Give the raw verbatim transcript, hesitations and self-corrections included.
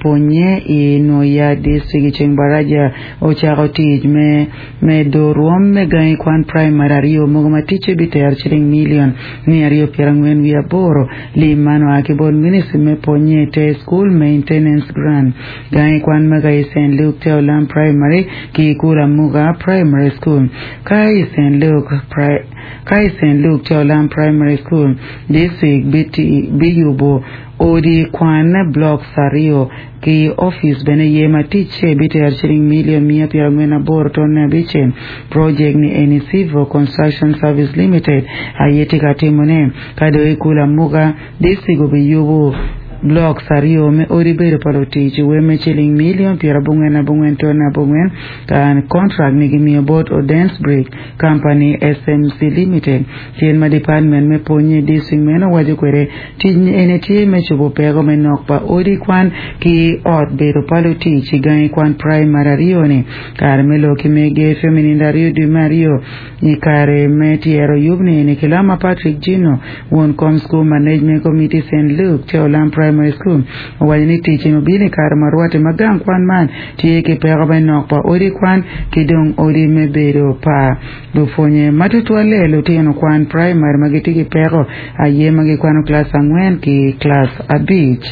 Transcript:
pwonye i Nwoya District i ceng baraja ocako tic me medo rwom me gangi kwan primary aryo mogo ma ticce bitero ciling milion mia aryo pyera angwen wiye aboro lim man oa ki bot ministry me pwonye te school maintenance grant gangi kwan mega i St Luke te Olam Primary ki Kulamuga Primary School ka i St Luke ka i St Luke te Olam Primary School district biyubo odi kwan blocks aryo ki office bene ye ma ticce bitero ciling milion mia pyera angwen aboro tonne abicel project ni eni Civil Construction Service Limited aye tye ka timone ka dong i Kulamuga district obiyubo blocks aryo me odi bedo pa lutic me ciling milion pyera abongwen abongwen tonne abongwen ka contract ni gimiyo bot Odens Brick Company SMC Limited tyen ma department me pwonye district meno waco kwede tic eni tye me cobo peko me nok pa odi kwan ki ot bedo pa lutic i gangi kwan primary aryo ni kare me lok ki mege feminindo aryo dwe me aryo i kare me tyero yub ni eni kilama Patrick Gino won kom school management committee St Luke te Olam Primary School owaco ni tic eni obino i kare ma rwatte ma gang kwan man tye ki peko me nok pa odi kwan ki dong odi me bedo pa lupwonye ma tutwalle lutino kwan primary ma gitye ki peko aye ma gikwano klas angwen ki klas abic.